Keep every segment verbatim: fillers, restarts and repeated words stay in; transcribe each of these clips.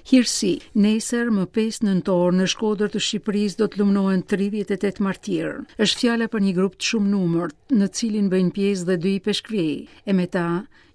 Hirësi, nesër më pesë nëntor në Shkodër të Shqipërisë do të lumnohen tridhjetë e tetë martirë. Është fjala për një grup të shumë numërt, në cilin bëjnë pjesë dhe dy ipeshkvij, e me ta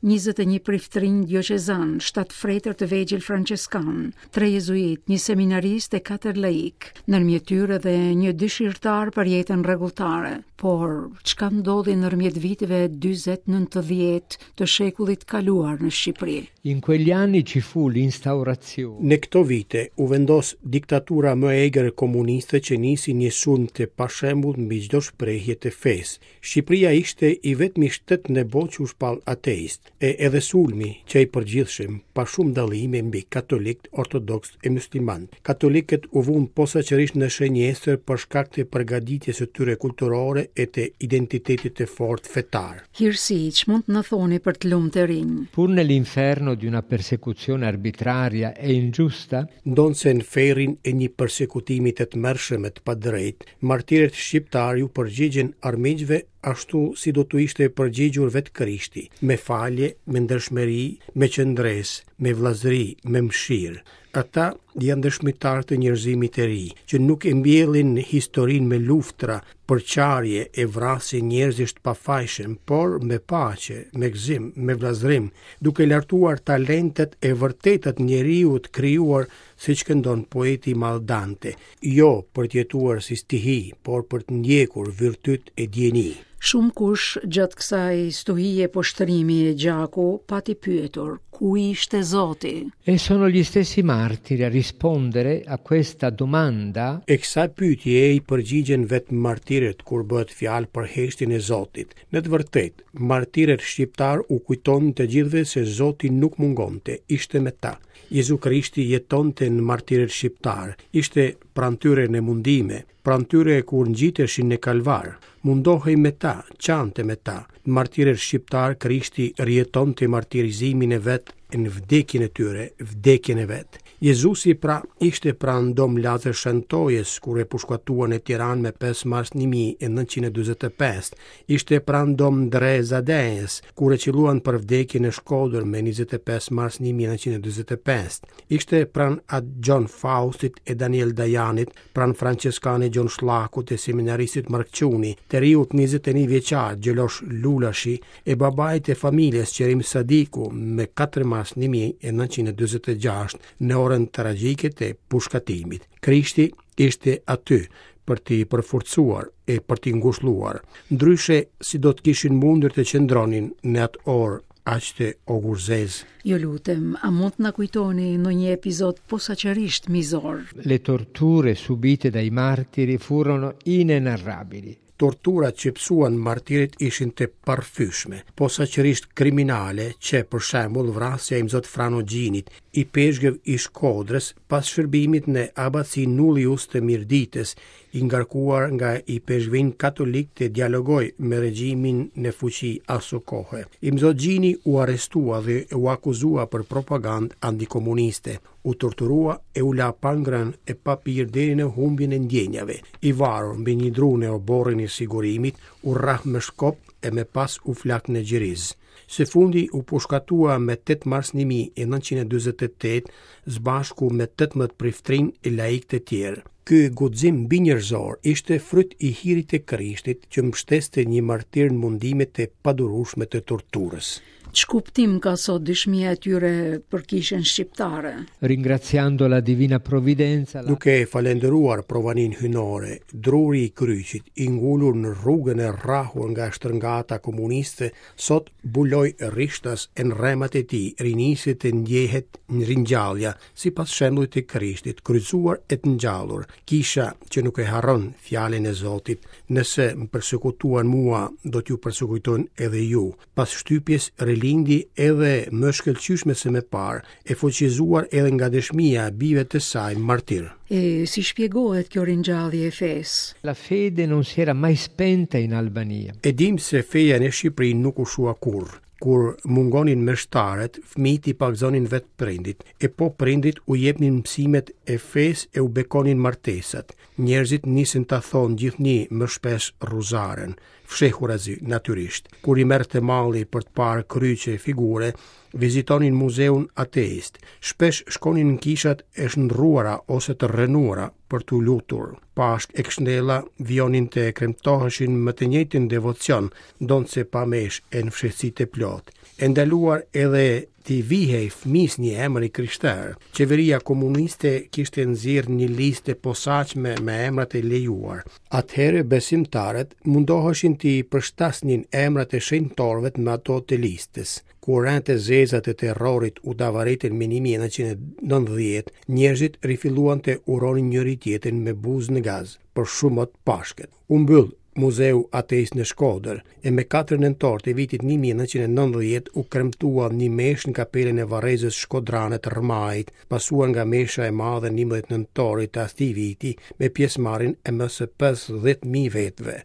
njëzet e një priftrinj dioqezan, shtatë fretër të vegjël franceskan, tre jezuit, një seminarist e katër laik, ndërmjet tyre dhe një dëshirtar për jetën rregulltare. Por, çka ndodhi ndërmjet viteve dyzet nëntëdhjetë të shekullit kaluar në Shqipëri? In quegli anni ci fu l'instaurazione. Në këto vite u vendos diktatura më e egër komuniste që nisi një sulm të pashembullt mbi çdo shprehje të fesë. Shqipëria ishte i vetmi shtet në botë që u shpall ateist, e edhe sulmi që i përgjithshëm, pa shumë dallime mbi katolikët, ortodoksët e musliman. Katolikët u vunë posaçërisht në shënjestër për shkak të përgatitjes së tyre kulturore e të identitetit të fortë fetar. Hirësi, ç'mund të na thoni për të lumtë e rinj? Pur nell'inferno di una persecuzione arbitraria e ingiusta, ndonëse në ferrin e një persekutimi të tmerrshëm e të padrejtë, martirët shqiptarë ju përgjigjen armiqve ashtu si do t'u ishte përgjigjur vetë Krishti, me falje, me ndershmëri, me qëndresë, me vëllazëri, me mëshirë. Ata janë dëshmitarë të njerëzimit të ri, që nuk e mbjellin historinë me luftra, përçarje e vrasje njerëzish të pafajshëm, por me paqe, me gëzim, me vëllazërim, duke lartuar talentet e vërtetat njeriut krijuar, siç këndon poeti i madh Dante, jo për të jetuar si stihi, por për të ndjekur virtyt e dijeni. Shumë kush gjatë kësaj stuhie poshtërimi e gjaku pati pyetur, ku ishte Zoti? E sono gli stessi martiri a rispondere a questa domanda. E kësaj pyetje i përgjigjen vetë martirët kur bëhet fjalë për heshtjen e Zotit. Në të vërtetë, martirët shqiptar u kujtonin të gjithëve se Zoti nuk mungonte, ishte me ta. Jezu Krishti jetonte në martirët shqiptar, ishte pranë tyre në mundime, pranë tyre kur ngjiteshin në kalvar, mundohej me ta, qante me ta. Në martirët shqiptar Krishti rjetonte martirizimin e vet në vdekjen e tyre, vdekjen e vet. Jezusi pra ishte pranë Dom Lazër Shentojës kur e pushkatuan në Tiranë me pesë mars një mijë e nëntëqind e dyzet e pesë, ishte pranë Dom Ndre Zadejës kur e qelluan për vdekje në Shkodër me njëzet e pesë mars një mijë e nëntëqind e dyzet e pesë, ishte pranë At Gjon Faustit e Daniel Dajanit, pranë Franceskanit Gjon Shllakut e seminaristit Mark Çuni, të riut njëzet e një vjeçar Gjelosh Lulashi e babait të familjes Qerim Sadiku me katër mars një mijë e nëntëqind e dyzet e gjashtë në orën tragjike të pushkatimit. Krishti ishte aty për t'i përforcuar e për t'i ngushëlluar. Ndryshe, si do të kishin mundur të qëndronin në atë orë aq të ogurzez. Ju lutem, a mund të na kujtoni ndonjë epizod posaçërisht mizor? Le torture subite dai martiri furono inenarrabili. Torturat që pësuan martirët ishin të parfyshme, posaçërisht kriminale, që për shembull vrasja e Imzot Frano Gjinit, i peshgëv i Shkodrës, pas shërbimit në abacinë Nullius të Mirditës, i ngarkuar nga i peshkvin katolik të dialogoj me regjimin në fuqi aso kohe. Imzot Gjini u arrestua dhe u akuzua për propagandë antikomuniste, u torturua e u la pa ngrënë e pa pirë deri në humbjen e ndjenjave. I varur mbi një dru në oborrin e sigurimit, u rrah me shkop e me pas u flak në Gjiriz. Së fundi u pushkatua me tetë mars një mijë e nëntëqind e dyzet e tetë së bashku me tetëmbëdhjetë priftrinj e laik të tjerë. Ky guxim mbinjerëzor ishte fryt i hirit të Krishtit që mbështeste një martir në mundimet e padurueshme të torturës. Ç'kuptim ka sot dëshmia e tyre për kishën shqiptare? Ringraziando la divina provvidenza, la Duke falendëruar provanin hyjnore, druri i kryqit, i ngulur në rrugën e rrahur nga shtërngata komuniste, sot buloi rishtas e në rremat e tij, rinisi të ndjehet në ringjallja, sipas shembullit të Krishtit, kryqëzuar e të ngjallur. Kisha që nuk e harron fjalën e Zotit, nëse më persekutuan mua, do t'ju persekutojnë edhe ju. Pas shtypjes rilindi edhe më shkëlqyeshme se më parë, e fuqizuar edhe nga dëshmia e bijve të saj martir. E si shpjegohet kjo ringjallje e fesë? La fede non si era mai spenta in Albania. E dim se feja në Shqipëri nuk u shua kurrë. Kur mungonin meshtarët, fëmijët i pagëzonin vetë prindit, e po prindit u jepnin mësimet e fesë e u bekonin martesat. Njerëzit nisën ta thonë gjithnjë më shpesh rruzaren, fshehurazi natyrisht. Kur i merrte malli për të parë kryqe e figure, Vizitonin muzeun ateist. Shpesh shkonin në kishat e shndërruara ose të rrënuara për t'u lutur. Pashkë e Kështjella vijonin të kremtoheshin me të njëjtin devocion, ndonëse pa meshë e në fshehtësi të plotë. E ndaluar edhe t'i vihej fëmijës një emër i krishterë. Qeveria komuniste kishte nxjerrë një listë të posaçme me emrat e lejuar. Atëherë besimtarët mundoheshin t'i përshtasnin emrat e shenjtorëve me ato të listës. Kur retë e zeza të terrorit u davaritën më një mijë e nëntëqind e nëntëdhjetë, njerëzit rifilluan të uronin njëri tjetrin me buzë në gaz për shumë mot Pashkët. U mbyll muzeu ateist në Shkodër, e me katër nëntor të vitit një mijë e nëntëqind e nëntëdhjetë u kremtua një meshë në kapelën e varrezës shkodrane të Rrmajit, pasuar nga mesha e madhe njëmbëdhjetë nëntorit të atij viti me pjesëmarrjen e më se pesëdhjetë mijë vetëve.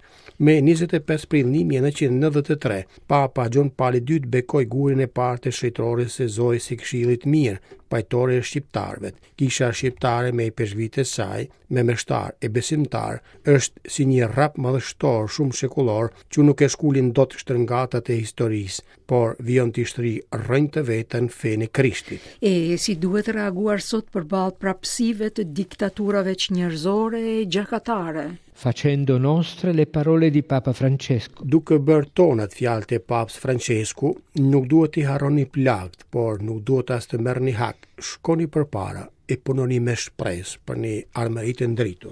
Me njëzet e pesë prill një mijë e nëntëqind e nëntëdhjetë e tre, Papa Gjon Pali i dytë bekoi gurin e parë të shenjtorës së Zojës së Këshillit Mirë, pajtore e shqiptarëve. Kisha shqiptare me ipeshkvit e saj, me meshtar e besimtar, është si një rrap madhështor shumë shekullor që nuk e shkulin dot shtërngatat e historisë, por vijon të shtrijë rrënjë të veta në fenë e Krishtit. E si duhet reaguar sot përballë prapësive të diktaturave çnjerëzore e gjakatare? Facendo nostre le parole di Papa Francesco. Duke bërë tonat fjalët e Papës Francesku, nuk duhet t'i harroni plagët, por nuk duhet as të merrni hak. Shkoni përpara e punoni me shpresë për një ardhmëri të ndritur.